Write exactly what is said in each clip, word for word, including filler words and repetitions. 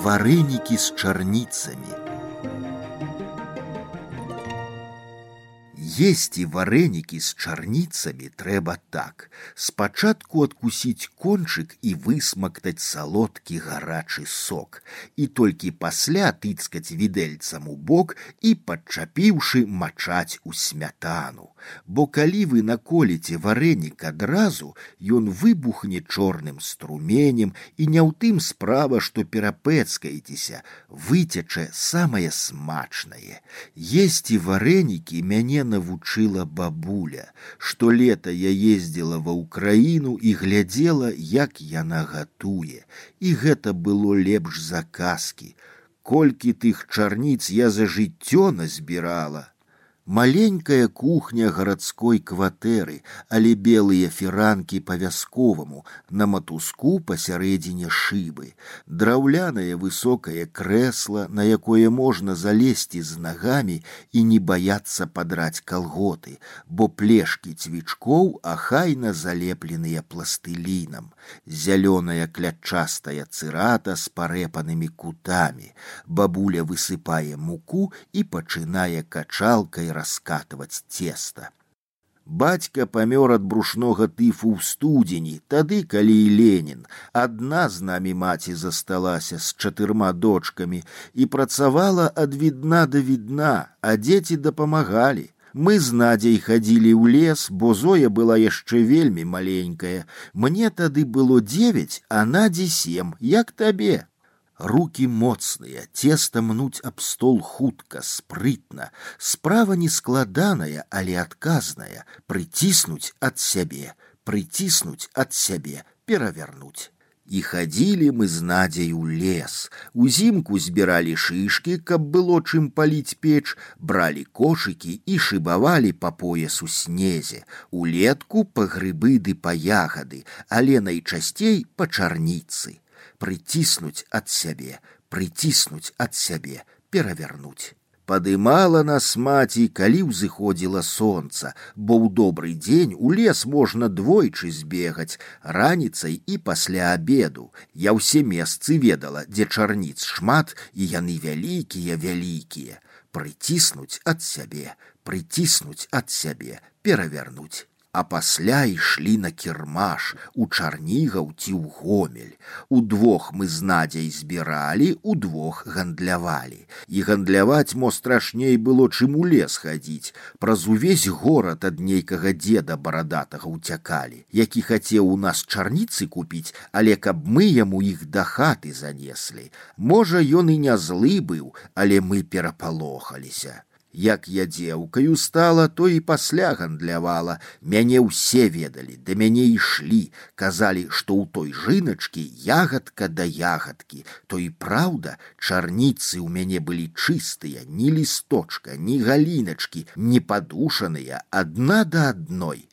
Вареники с чарницами. Есці вареники с чарницами трэба так. Спачатку адкусіць кончык і высмактаць салодкі гарачы сок. І толькі пасля тыцкаць відэльцам у бок і, падчапіўшы, мачаць у смятану. Бо калі вы наколіце вареник адразу, ён выбухне чорным струменем, і не ў тым справа, што перапэцкаецеся, выцячэ самае смачнае. Есці вареники мяне навучыла бабуля. Што лета я ездзіла ва ўкраіну і глядзела, як яна гатуе. І гэта было лепш за казкі. Колькі тых чарніц я за жыццё назбірала. Маленькая кухня гарадской кватэры, але белыя фіранкі па-вясковаму, на матуску пасярэдзіне шыбы. Драўлянае высокае крэсла, на якое можна залезці з нагамі і не баяцца падраць калготы, бо плешкі цвічкоў ахайна залепленыя пластылінам. Зялёная клятчастая цырата з парэпанымі кутамі. Бабуля высыпае муку і пачынае качалкай раскатывать тесто. Бацька памёр ад брушнога тыфу ў студзені, тады, калі і Ленін. Адна з намі маці засталася з чатырма дочкамі і працавала ад відна да відна, а дзеці дапамагалі. Мы з Надзяй хадзілі ў лес, бо Зоя была яшчэ вельмі маленькая. Мне тады было дзевяць, а Надзі сем, як табе. Руки моцныя, цеста мнуць аб стол хутка, спрытна. Справа не складаная, але адказная. Прыціснуць ад сябе, прыціснуць ад сябе, перавярнуць. І хадзілі мы з Надзяй у лес. Узімку збіралі шышкі, каб было чым паліць печ, бралі кошыкі і шыбавалі па пояс у снезе. Улетку па грыбы ды па ягады, але найчасцей па чарніцы. Прыціснуць ад сябе, прыціснуць ад сябе, перавярнуць. Падымала нас маці, калі ўзыходзіла сонца, бо ў добры дзень у лес можна двойчы збегаць, раніцай і пасля абеду. Я ўсе месцы ведала, дзе чарніц шмат, і яны вялікія-вялікія. Прыціснуць ад сябе, прыціснуць ад сябе, перавярнуць. А пасля ішлі на кірмаш, у Чарнігаў ці ў Гомель. Удвох мы з Надзяй збіралі, удвох гандлявалі. І гандляваць мо страшней было, чым у лес хадзіць. Праз увесь горад ад нейкага дзеда барадатага ўцякалі, які хацеў у нас чарніцы купіць, але каб мы яму іх да хаты занеслі. Можа, ён і не злы быў, але мы перапалохаліся. Як я дзеўкаю стала, то і пасля гандлявала. Мяне ўсе ведалі, да мяне ішлі, казалі, што ў той жыначкі ягадка да ягадкі. То і праўда, чарніцы ў мяне былі чыстыя, ні лісточка, ні галіначкі, не падушаныя, адна да адной.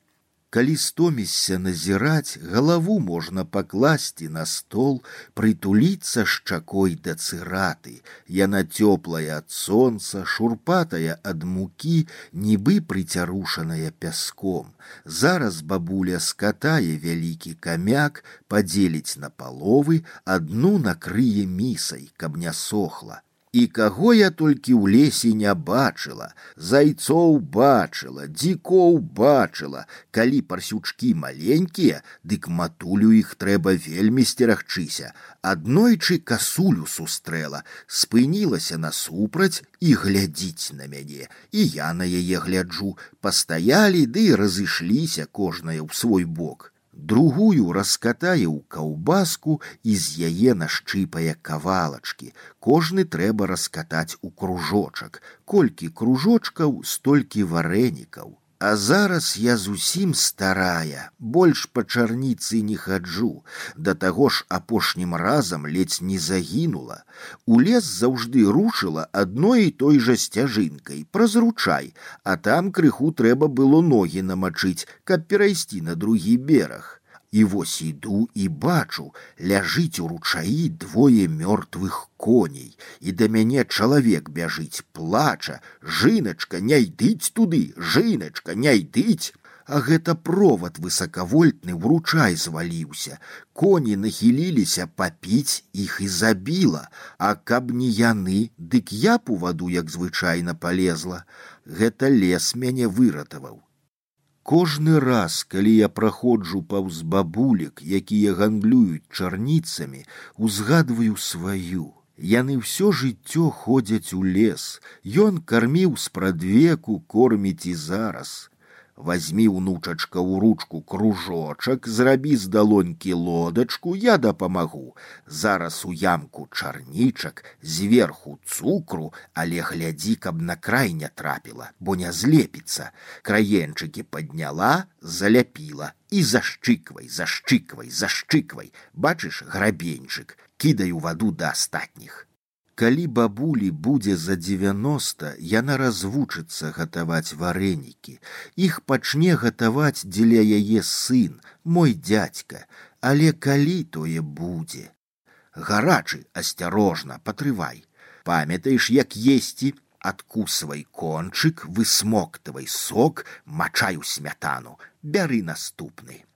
Калі стомішся назіраць, галаву можна пакласці на стол, прытуліцца шчакой да цыраты. Яна цёплая ад сонца, шурпатая ад мукі, нібы прыцярушаная пяском. Зараз бабуля скатае вялікі камяк, падзеліць на паловы, адну накрые місай, каб не сохла. І каго я толькі ў лесе не бачыла, зайцоў бачыла, дзікоў бачыла. Калі парсючкі маленькія, дык матулю іх трэба вельмі сцерагчыся. Аднойчы касулю сустрэла, спынілася насупраць і глядзіць на мяне. І я на яе гляджу. Пастаялі ды і разышліся кожная ў свой бок. Другую раскатае ў каўбаску і з яе нашчыпае кавалачкі. Кожны трэба раскатаць у кружочак. Колькі кружочкаў, столькі варэнікаў. А зараз я зусім старая, больш па чарніцы не хаджу. Да таго ж апошнім разам ледзь не загінула. У лес заўжды рушыла адной і той жа сцяжынкай, праз ручай, а там крыху трэба было ногі намачыць, каб перайсці на другі бераг. І вось іду і бачу, ляжыць у ручаі двое мёртвых коней, і да мяне чалавек бяжыць, плача: «Жыначка, не йдыць туды, жыначка, не йдыць!» а гэта провод высакавольтны ў ручай зваліўся. Коні нахіліліся папіць, іх і забіла, а каб не яны, дык я б у ваду, як звычайна, палезла. Гэта лес мяне выратаваў. Кожны раз, калі я праходжу паўз бабулек, якія гандлююць чарніцамі, узгадваю сваю. Яны ўсё жыццё ходзяць у лес. Ён карміў спрадвеку, корміць і зараз. Вазьмі, унучачка, у ручку кружочак, зрабі з далонькі лодачку, я дапамагу. Зараз у ямку чарнічак, зверху цукру, але глядзі, каб на край не трапіла, бо не злепіцца. Краенчыкі падняла, заляпіла і зашчыквай, зашчыквай, зашчыквай. Бачыш, грабеньчык, кідай у ваду да астатніх. Калі бабулі будзе за дзевяноста, яна развучыцца гатаваць варэнікі. Іх пачне гатаваць дзеля яе сын, мой дзядзька. Але калі тое будзе? Гарачы, асцярожна, патрывай. Памятаеш, як есці? Адкусвай кончык, высмоктавай сок, мачай у смятану. Бяры наступны.